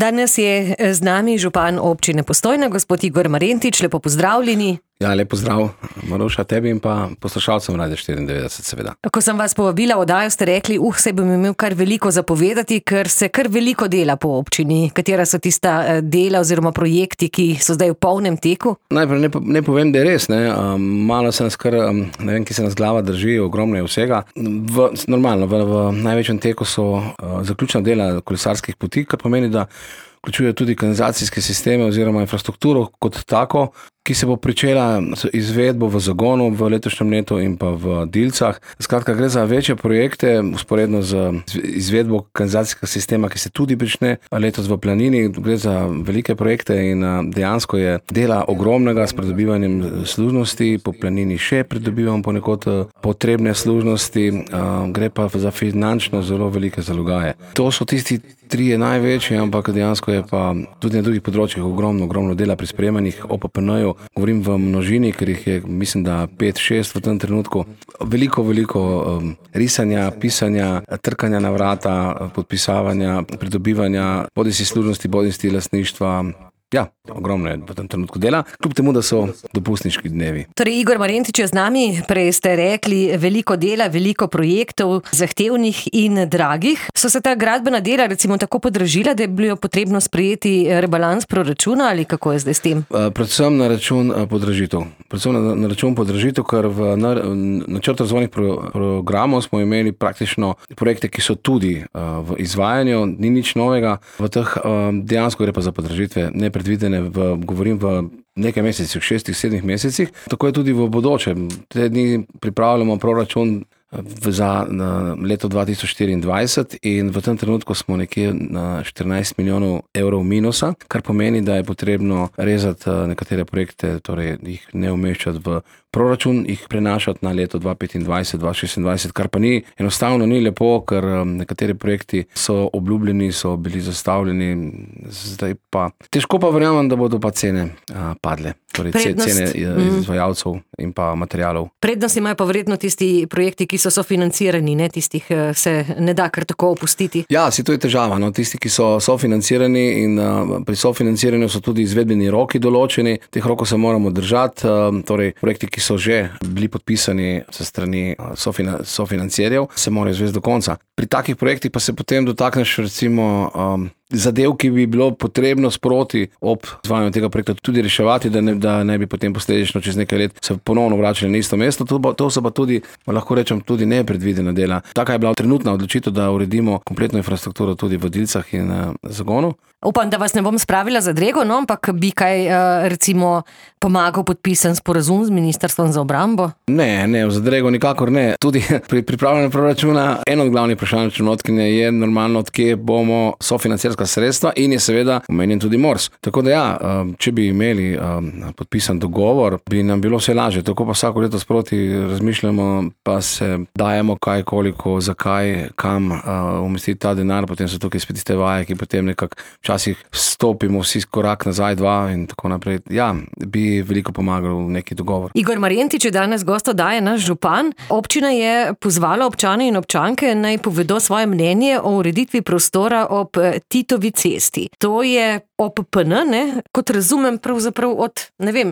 Danes je z nami župan občine Postojna, gospod Igor Marentič, lepo pozdravljeni. Ja, lep pozdrav, Maruša, tebi in pa poslušalcem Radia 94, seveda. Ko sem vas povabila v oddajo, ste rekli, se bom imel kar veliko zapovedati, ker se kar veliko dela po občini. Katera so tista dela oziroma projekti, ki so zdaj v polnem teku? Najprej ne povem, da je res, ne. Malo se nas kar, ne vem, ki se nas glava drži, ogromno je vsega. Normalno, v največjem teku so zaključna dela kolesarskih poti, kar pomeni, da vključuje tudi kanalizacijske sisteme oziroma infrastrukturo kot tako, ki se bo pričela z izvedbo v Zagonu v letošnjem letu in pa v Dilcah. Skratka, gre za večje projekte, usporedno z izvedbo kanalizacijskega sistema, ki se tudi prične letos v Planini. Gre za velike projekte in dejansko je dela ogromnega s pridobivanjem služnosti. Po Planini še pridobivamo ponekod potrebne služnosti, gre pa za finančno zelo velike zalogaje. To so tisti trije največji, ampak dejansko je pa tudi na drugih področjih ogromno dela pri sprejemanjih OPPN-ju. Govorim v množini, ker jih je, mislim, da 5-6 v tem trenutku. Veliko risanja, pisanja, trkanja na vrata, podpisavanja, pridobivanja, bodisi služnosti, bodisi lastništva. Ja, ogromno je v tem trenutku dela, kljub temu, da so dopustniški dnevi. Torej, Igor Marentič je z nami, prej ste rekli, veliko dela, veliko projektov, zahtevnih in dragih. So se ta gradbena dela recimo tako podražila, da je bilo potrebno sprejeti rebalans proračuna ali kako je zdaj s tem? Predvsem na račun podražitev. Ker v načrtu razvojnih programov smo imeli praktično projekte, ki so tudi v izvajanju, ni nič novega. V teh dejansko gre pa za podražitve nepredvidene, govorim v nekaj mesecih, 6-7 mesecih. Tako je tudi v bodoče. Te dni pripravljamo proračun za leto 2024 in v tem trenutku smo nekje na 14 milijonov evrov minusa, kar pomeni, da je potrebno rezati nekatere projekte, torej jih ne umeščati v proračun, jih prenašati na leto 2025, 2026, kar pa enostavno ni lepo, ker nekateri projekti so obljubljeni, so bili zastavljeni, zdaj pa težko pa verjamem, da bodo pa cene padle. Torej cene izvajalcev in pa materialov. Prednost imajo pa verjetno tisti projekti, ki so sofinancirani, ne? Tistih se ne da kar tako opustiti. Ja, to je težava, no? Tisti, ki so sofinancirani in pri sofinanciranju so tudi izvedbeni roki določeni, teh rokov se moramo držati, torej projekti, ki so že bili podpisani se strani sofinancierjev, se morajo izvesti do konca. Pri takih projektih pa se potem dotakneš recimo zadev, ki bi bilo potrebno sproti ob izvajanju tega projekta tudi reševati, da ne bi potem posledično čez nekaj let se ponovno vračali na isto mesto. To so pa tudi, lahko rečem, tudi nepredvidena dela. Taka je bila trenutna odločitev, da uredimo kompletno infrastrukturo tudi v Dilcah in Zagonu. Upam, da vas ne bom spravila za drego, no, ampak bi kaj recimo pomagal podpisan sporazum z Ministrstvom za obrambo? Ne, za drego nikakor ne. Tudi pri pripravljanju proračuna eno od glavnih vprašanj računovodkinje je normalno, od kje bomo sofinancirska sredstva in je seveda omenjen tudi MORS. Tako da ja, če bi imeli podpisan dogovor, bi nam bilo vse lažje. Tako pa vsako leto sproti razmišljamo, pa se dajemo kaj, koliko, zakaj, kam umestiti ta denar, potem so tukaj spet tiste vaje, ki potem nekako včasih stopimo vsi korak nazaj, 2 in tako naprej. Ja, bi veliko pomagal neki dogovor. Igor Marentič je danes gost oddaje, naš župan. Občina je pozvala občane in občanke, naj povedo svoje mnenje o ureditvi prostora ob Titovi cesti. To je OPPN, ne? Kot razumem pravzaprav od,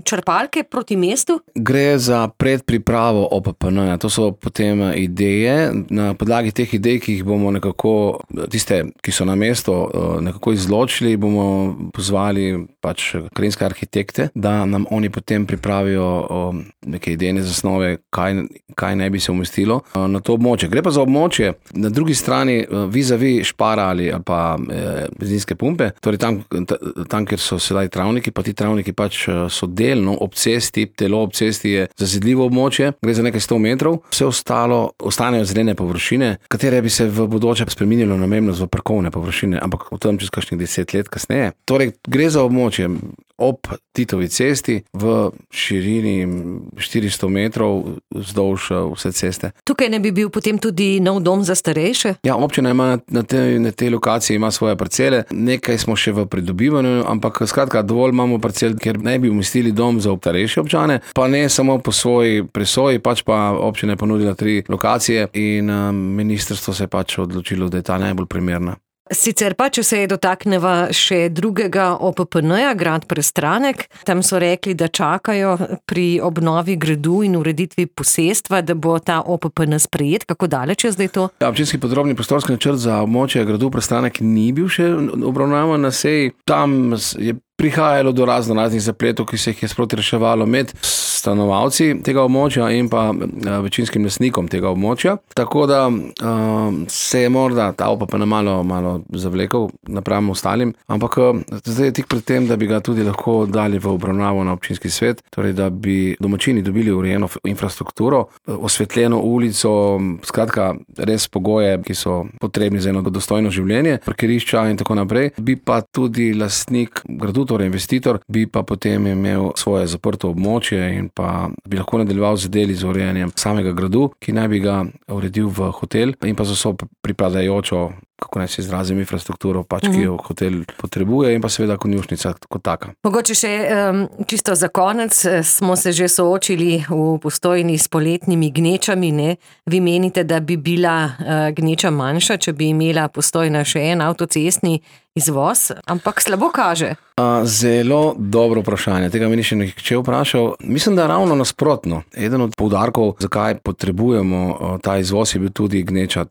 črpalke proti mestu? Gre za predpripravo OPPN. To so potem ideje. Na podlagi teh idej, ki jih bomo nekako, tiste, ki so na mesto, nekako izločili, bomo pozvali krajinske arhitekte, da nam oni potem pripravijo neke idejne zasnove, kaj ne bi se umestilo na to območje. Gre pa za območje na drugi strani vis-a-vis Špara ali pa benzinske pumpe, torej tam, kjer so sedaj travniki, pa ti travniki so delno ob cesti, telo ob cesti je zazidljivo območje, gre za nekaj 100 metrov, vse ostalo ostanejo zelene površine, katere bi se v bodoče spreminjalo namembnost v parkovne površine, ampak o tem čez kakšnih 10 let kasneje. Torej, gre za območje ob Titovi cesti v širini 400 metrov vzdolž vse ceste. Tukaj ne bi bil potem tudi nov dom za starejše? Ja, občina ima na tej lokaciji ima svoje parcele, nekaj smo še v pridobivanju, ampak skratka dovolj imamo parcel, kjer ne bi umestili dom za starejše občane, pa ne samo po svoji presoji, pa občina je ponudila 3 lokacije in ministrstvo se je odločilo, da je ta najbolj primerna. Sicer pa, če se je dotakneva še drugega OPPN-ja, Grad Prestranek, tam so rekli, da čakajo pri obnovi gradu in ureditvi posestva, da bo ta OPPN sprejet. Kako daleč je zdaj to? Občinski podrobni prostorski načrt za območje gradu Prestranek ni bil še obravnavan na seji. Tam je prihajalo do raznih zapletov, ki se jih je sproti reševalo med stanovalci tega območja in pa večinskim lastnikom tega območja. Tako da se je morda ta OPPN malo zavlekel napram ostalim, ampak zdaj je tik pred tem, da bi ga tudi lahko dali v obravnavo na občinski svet, torej da bi domačini dobili urejeno infrastrukturo, osvetljeno ulico, skratka res pogoje, ki so potrebni za eno dostojno življenje, parkirišča in tako naprej. Bi pa tudi lastnik gradu, torej investitor, bi pa potem imel svoje zaprto območje in pa bi lahko nadaljeval z deli z urejanjem samega gradu, ki naj bi ga uredil v hotel in pa za vso pripadajočo, kako naj se izrazim, infrastrukturo, ki jo hotel potrebuje in pa seveda konjušnica kot taka. Mogoče še čisto za konec, smo se že soočili v Postojni s poletnimi gnečami, ne? Vi menite, da bi bila gneča manjša, če bi imela Postojna še en avtocestni izvoz, ampak slabo kaže. Zelo dobro vprašanje, tega mi ni še nihče vprašal. Mislim, da ravno nasprotno. Eden od poudarkov, zakaj potrebujemo ta izvoz, je bil tudi gneča,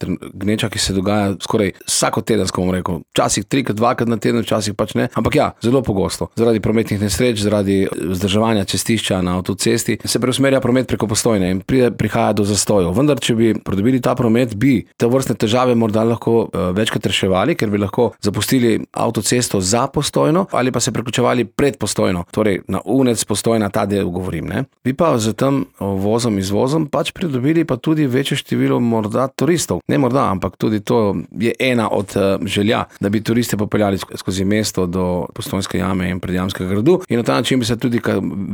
ki se dogaja skoraj vsakotedensko, bom rekel, včasih 3, 2 na teden, včasih pač ne, ampak ja, zelo pogosto. Zaradi prometnih nesreč, zaradi vzdrževanja cestišča na avtocesti se preusmerja promet preko Postojne in prihaja do zastojev. Vendar, če bi pridobili ta promet, bi te vrstne težave morda lahko večkrat reševali, ker bi lahko zapustili avtocesto za Postojno ali pa se priključevali pred Postojno, torej na Unec, Postojna, ta del govorim, ne. Bi pa z tem vozom, izvozom pač pridobili pa tudi večje število morda turistov. Ne morda, ampak tudi to je ena od želja, da bi turiste popeljali skozi mesto do Postojnske jame in Predjamskega gradu in na ta način bi se tudi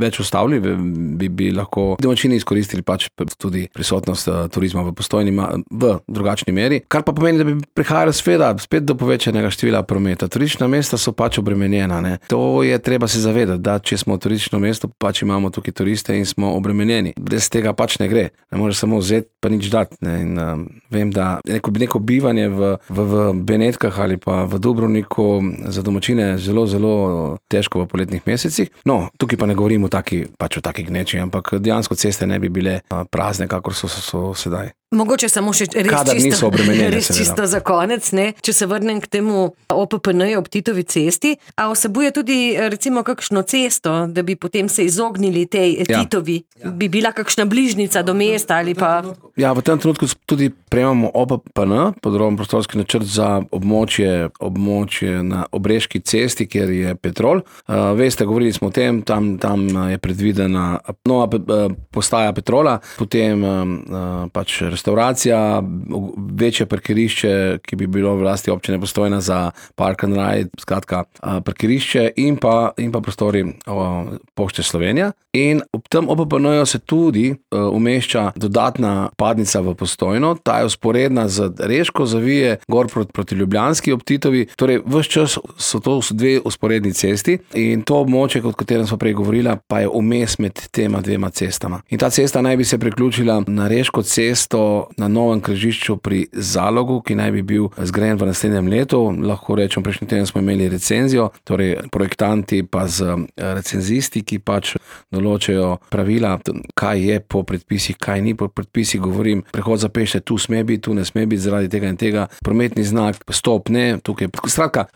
več ustavili, bi lahko domačini izkoristili pač tudi prisotnost turizma v Postojni v drugačni meri, kar pa pomeni, da bi prihajalo spet do povečanega števila prometa. Turistična mesta so pač obremenjena, ne. To je treba se zavedati, da če smo turistično mesto, pač imamo tukaj turiste in smo obremenjeni. Brez tega pač ne gre. Ne moreš samo vzeti pa nič dati, ne. In vem, da neko bivanje v Benetkah ali pa v Dubrovniku za domačine zelo, zelo težko v poletnih mesecih. No, tukaj pa ne govorim o taki gneči, ampak dejansko ceste ne bi bile prazne, kakor so sedaj. Mogoče samo še res čisto za konec, ne? Če se vrnem k temu OPPN-ju ob Titovi cesti, a vsebuje tudi recimo kakšno cesto, da bi potem se izognili tej Titovi? Bi bila kakšna bližnica do mesta ali pa... Ja, v tem trenutku tudi prejemamo OPPN, podroben prostorski načrt za območje na Obreški cesti, kjer je Petrol. Veste, govorili smo o tem, tam je predvidena nova postaja Petrola, potem pač restauracija, večje parkirišče, ki bi bilo v lasti občine Postojna za park and ride, skratka parkirišče in pa prostori Pošte Slovenija. In ob tem OPPN-ju se tudi umešča dodatna padnica v Postojno, ta je vzporedna z Reško, zavije gor proti Ljubljanski ob Titovi, torej ves čas so to dve vzporedni cesti in to območje, o katerem smo prej govorila, pa je vmes med tema dvema cestama. In ta cesta naj bi se priključila na Reško cesto na novem križišču pri Zalogu, ki naj bi bil zgrajen v naslednjem letu. Lahko rečem, prejšnji teden smo imeli recenzijo, torej projektanti pa z recenzisti, ki pač določajo pravila, kaj je po predpisih, kaj ni po predpisih, govorim, prehod za pešce, tu sme biti, tu ne sme biti zaradi tega in tega, prometni znak, stop ne, tukaj. Skratka,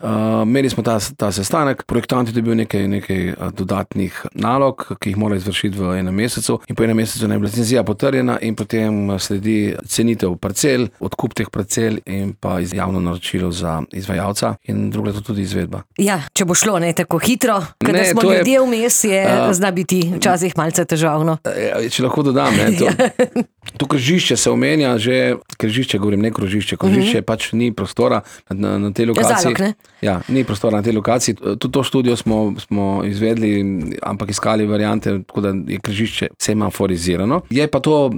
imeli smo ta sestanek, projektanti dobijo nekaj dodatnih nalog, ki jih morajo izvršiti v enem mesecu in po enem mesecu naj bi recenzija potrjena in potem sledi cenitev parcel, odkup teh parcel in pa javno naročilo za izvajalca in drugo je to tudi izvedba. Ja, če bo šlo ne tako hitro, kada smo ljudje vmes, zna biti včasih malce težavno. Če lahko dodam, to križišče se omenja že, križišče govorim, ne krožišče, krožišče pač ni prostora na tej lokaciji. Zalog, ne? Ja, ni prostora na tej lokaciji. Tudi to študijo smo izvedli, ampak iskali variante, tako da je križišče semaforizirano. Je pa to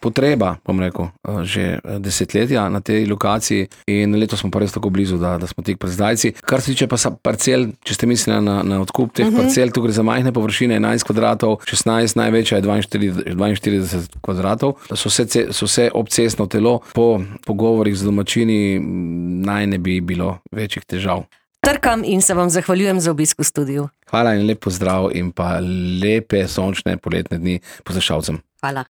potreba, bom rekel, rekel, že desetletja na tej lokaciji in letos smo pa res tako blizu, da smo tik pred zdajci. Kar se tiče pa parcel, če ste mislili na odkup teh parcel, tu gre za majhne površine, 11 kvadratov, 16, največja je 42 kvadratov, so vse obcestno telo, po pogovorih z domačini naj ne bi bilo večjih težav. Trkam in se vam zahvaljujem za obisk v studiu. Hvala in lep pozdrav in pa lepe sončne poletne dni poslušalcem. Hvala.